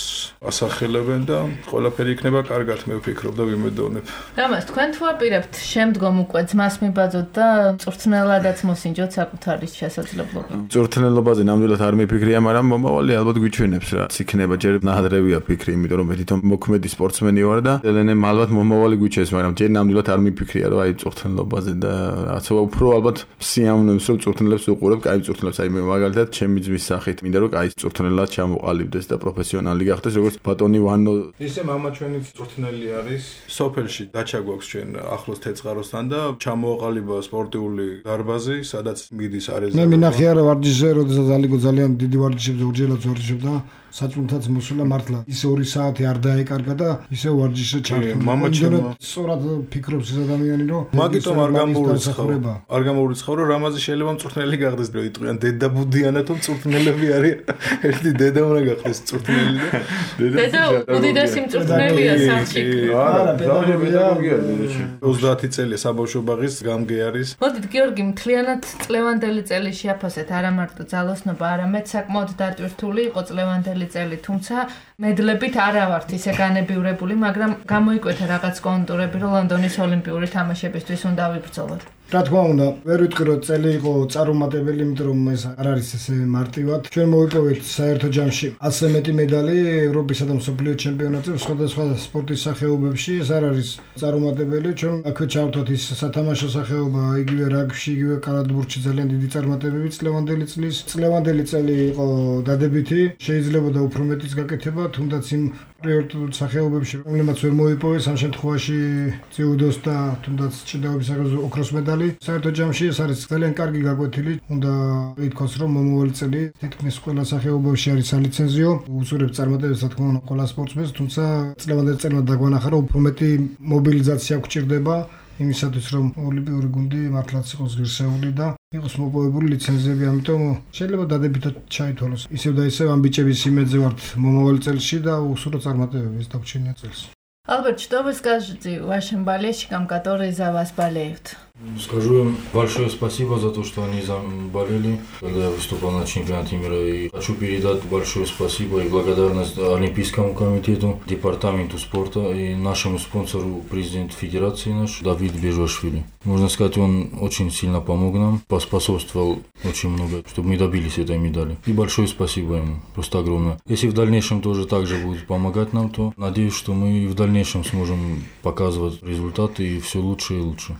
ასახელებენ და ყველაფერი იქნება კარგად, მე ვფიქრობ და ვიმედოვნებ. რამაც თქვენ თუ აპირებთ შემდგომ უკვე ძმას მიბაძოთ და წვრთნელადაც მოსინჯოთ საკუთარი შესაძლებლობა? წვრთნელობაზე ნამდვილად არ მიფიქრია, მაგრამ მომავალი ალბათ გვიჩვენებს რა. იქნება ჯერ ნაადრევია ფიქრი, იმიტომ რომ მე თვითონ მოქმედი სპორტსმენი ვარ და ელენე ალბათ მომავალი გვიჩვენებს, მაგრამ ჯერ ნამდვილად არ მიფიქრია, რომ აი წვრთნელობაზე და რაც უფრო ალბათ სიამოვნებს, რომ წვრთნელებს უყურებ, კაი წვრთნელებს, აი მე მაგალითად ჩემი ძმის სახით მინდა რომ კაი წვრთნელად ჩამოყალიბდეს და პროფესიონალი გახდეს, როგორც ბატონი ვანო. ისე მამა ჩვენი წვრთნელი არის. სოფელში დაჩა გვაქვს ჩვენ ახლოს თეწყაროსთან და ჩამოაყალიბა სპორტიული დარბაზი, სადაც მიდის არეზე. მე მინახე არა ვარჯიშზე, როდესაც ალიგო ძალიან დიდი ვარჯიშებზე უჯერლად ვარჯიშობდა საჭმელთაც მოსულა მართლა ის 2 საათი არ დაეკარგა და ისე ვარჯიშზე ჩართო. მამაჩემო სწორად ფიქრობს ეს ადამიანი რომ მაგიტომ არ გამოურიცხავ რომ რამაზი შეიძლება მწვრთნელი გახდეს რომ იტყვიან დედაბუდიანა თუ მწვრთნელები არის ერთი დედა უნდა გახდეს მწვრთნელი და დედა უდიდესი მწვრთნელია სამში. არა პედაგოგია დედაში 30 წელია საბავშვო ბაღის გამგე არის. მოდით გიორგი მთლიანად წლევანდელი წელი შეაფასეთ არა მარტო ძალოსნობა არამედ საკმაოდ დატვირთული იყო წლევანდელი წელი, თუმცა მედლებით არა ვართ ისე განებივრებული, მაგრამ გამოიკვეთა რაღაც კონტურები, რომ ლონდონის ოლიმპიური თამაშებისთვის უნდა ვიბრძოლოთ. რა თქმა უნდა, ვერ ვიტყვი რომ წელი იყო წარუმატებელი, იმიტომ რომ ეს არ არის ესე მარტივად. ჩვენ მოვიპოვეთ საერთო ჯამში 100 მეტი медали ევროპისა და მსოფლიო ჩემპიონატებზე სხვადასხვა სპორტის სახეობებში. ეს არ არის წარუმატებელი. ჩვენ აქვე ჩავთვალთ ის სათამაშო სახეობა, იგივე რაგბიში, იგივე კალათბურთში ძალიან დიდი წარმატებები წლევანდელი წლის. წლევანდელი წელი იყო დადებითი, შეიძლებოდა უფრო მეტიც გაკეთება, თუნდაც იმ პრიორიტეტულ სახეობებში, რომლებიც ვერ მოიპოვეს, ამ შემთხვევაში ძიუდოს და თუნდაც ჭიდაობის სახელზე ოქროს медали. საერთო ჯამში ეს არის ძალიან კარგი გაკვეთილი. უნდა ითქვას, რომ მომავალი წელი თითქმის ყველა სახეობაში არის სალიცენზიო. უწურებს წარმატებებს, რა თქმა უნდა, ყველა სპორტსმენს, თუმცა წლევანდელი წელმა დაგვანახა, რომ უფრო მეტი მობილიზაცია გვჭირდება იმისათვის, რომ ოლიმპიური გუნდი მართლაც იყოს ღირსეული და იყოს მოპოვებული ლიცენზიები, ამიტომ შეიძლება დადებითად ჩაითვალოს. ისევ და ისევ ამ ბიჭების იმედზე ვართ მომავალ წელში და უსურო წარმატებები ეს დაგვრჩენია წელს. Альберт, что вы скажете вашим болельщикам, которые за вас болеют? Скажу им большое спасибо за то, что они болели, когда я выступал на чемпионате мира. И хочу передать большое спасибо и благодарность Олимпийскому комитету, департаменту спорта и нашему спонсору, президенту федерации наш, Давид Бежашвили. Можно сказать, он очень сильно помог нам, поспособствовал очень много, чтобы мы добились этой медали. И большое спасибо ему, просто огромное. Если в дальнейшем тоже так же будет помогать нам, то надеюсь, что мы в дальнейшем сможем показывать результаты и все лучше и лучше.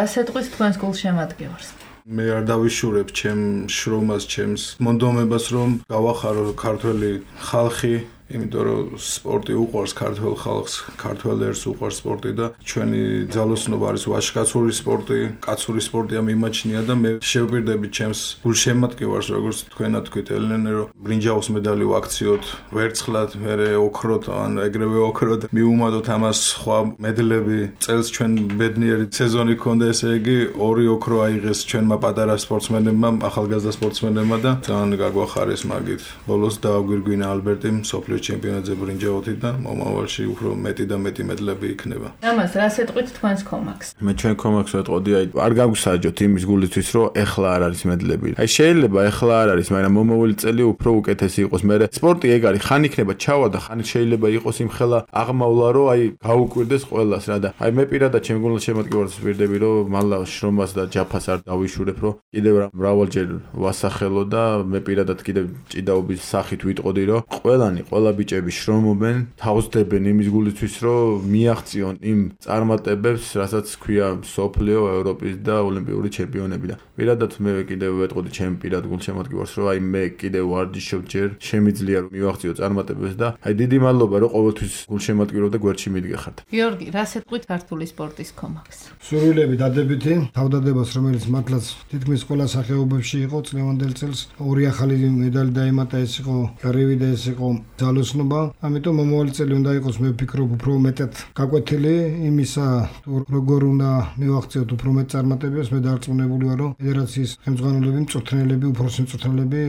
სეტყვის თქვენს გულშემატკივარს. მე არ დავიშურებ ჩემ შრომას, ჩემს მონდომებას, რომ გავახარო ქართველი ხალხი, იმიტომ რომ სპორტი უყვარს ქართველ ხალხს, ქართველებს უყვარს სპორტი და ჩვენი ძალოსნობა არის ვაჟკაცური სპორტი, კაცური სპორტია მიმაჩნია და მე შევპირდები ჩემს გულშემატკივარს, როგორც თქვენად თქვით ელენე, რომ ბრინჯაოს медали ვაქციოთ, ვერცხლად, მერე ოქროთ, ან ეგრევე ოქროთ, მიუმატოთ ამას სხვა медლები. წელს ჩვენ ბედნიერი სეზონი ქონდა, ესე იგი 2 ოქრო აიღეს ჩვენმა პატარა სპორტსმენებმა, ახალგაზრდა სპორტსმენებმა და ძალიან გაგვახარეს მაგით. ბოლოს დააგვირგვინა ალბერტი მსოფლიო ჩემპიონატზე ბრინჯაოთი და მომავალში უფრო მეტი და მეტი медლები იქნება. ამას რა სეტყვით თქვენს კომაქს? მე ჩვენ კომაქს ვეტყოდი, აი არ გაგვსაჯოთ იმის გულისთვის, რომ ეხლა არ არის медლები. აი შეიძლება ეხლა არ არის, მაგრამ მომავალი წელი უფრო უკეთესი იყოს. მე სპორტი ეგ არის, ხან იქნება ჩავა და ხან შეიძლება იყოს იმხელა აღმავლა, რომ აი გაუკვირდეს ყველას რა და აი მე პირადად ჩემ გულშემატკივარს ვირდები, რომ მალლა შრომას და ჯაფას არ დავიშურებ, რომ კიდევ მრავალჯერ ვასახელო და მე პირადად კიდევ ჭიდაობის სახით ვიტყოდი, რომ ყველა ბიჭები შრომობენ, თავსდებენ იმის გულისთვის, რომ მიაღწიონ იმ წარმატებებს, რასაც ქვია სოფლიო, ევროპის და ოლიმპიური ჩემპიონები და პირადად მე კიდევ ვეტყოდი ჩემ პირად გულშემატკივარს, რომ აი მე კიდევ ვარჯიშობ ჯერ, შემიძლია რომ მივაღწიო წარმატებებს და აი დიდი მადლობა, რომ ყოველთვის გულშემატკივრო და გვერდში მიდგეხართ. გიორგი, რა სეტყვით ქართული სპორტის კომაქს? სურვილები დადებითი, თავდადებას, რომელიც მართლაც თითქმის ყველა სახეობებში იყო წლევანდელ წელს 2 ახალი медали დაემატა, ეს იყო გარივი და ეს იყო ძალოსნობა. ამიტომ მომავალი წელი უნდა იყოს, მე ვფიქრობ, უფრო მეტად გაკვეთილი იმისა, როგორ უნდა მივაღწიოთ უფრო მეტ წარმატებებს. მე დარწმუნებული ვარ, რომ ფედერაციის ხელმძღვანელები, მწვრთნელები, უფროსი მწვრთნელები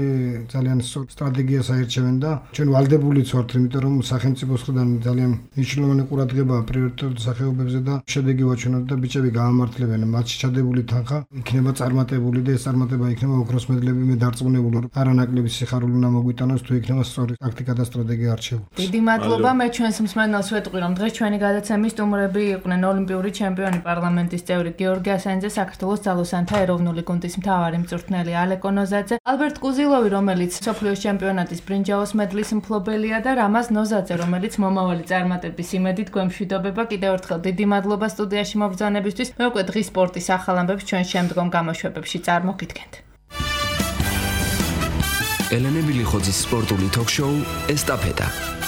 ძალიან სტრატეგიას აერჩევენ და ჩვენ ვალდებულიც ვართ, იმიტომ რომ სახელმწიფოს მხრიდან ძალიან მნიშვნელოვანი ყურადღებაა პრიორიტეტულ სახეობებზე და შედეგი ვაჩვენოთ და ბიჭები გაამართლებენ. მათში ჩადებული თანხა იქნება წარმატებული და ეს წარმატება იქნება ოქროს медლები. მე დარწმუნებული ვარ, არანაკლები სიხარული უნდა მოგვიტანოს, თუ იქნება სწორი ტაქტიკა და სტრატეგია არჩეული. დიდი მადლობა, მე ჩვენს მსმენელს ვეტყვი, რომ დღეს ჩვენი გადაცემის სტუმრები იყვნენ ოლიმპიური ჩემპიონი, პარლამენტის წევრი გიორგი ასანიძე, საქართველოს ძალოსანთა ეროვნული გუნდის მთავარი მწვრთნელი ალეკო ნოზაძე, ალბერტ კუზილოვი, რომელიც მსოფლიოს ჩემპიონატის ბრინჯაოს медლის მფლობელია და რამაზ ნოზაძე, რომელიც მომავალი წარმატების იმედით გვემშვიდობება. კიდევ ერთხელ დიდი მადლობა სტუდიაში მობრძანებისთვის. მე უკვე დღის სპორტის ახალ ამბებს ჩვენ შემდგომ გამოშვებებში წარმოგიდგენთ. ელენე ბილიხოძის სპორტული თოქ-შოუ ესტაფეტა.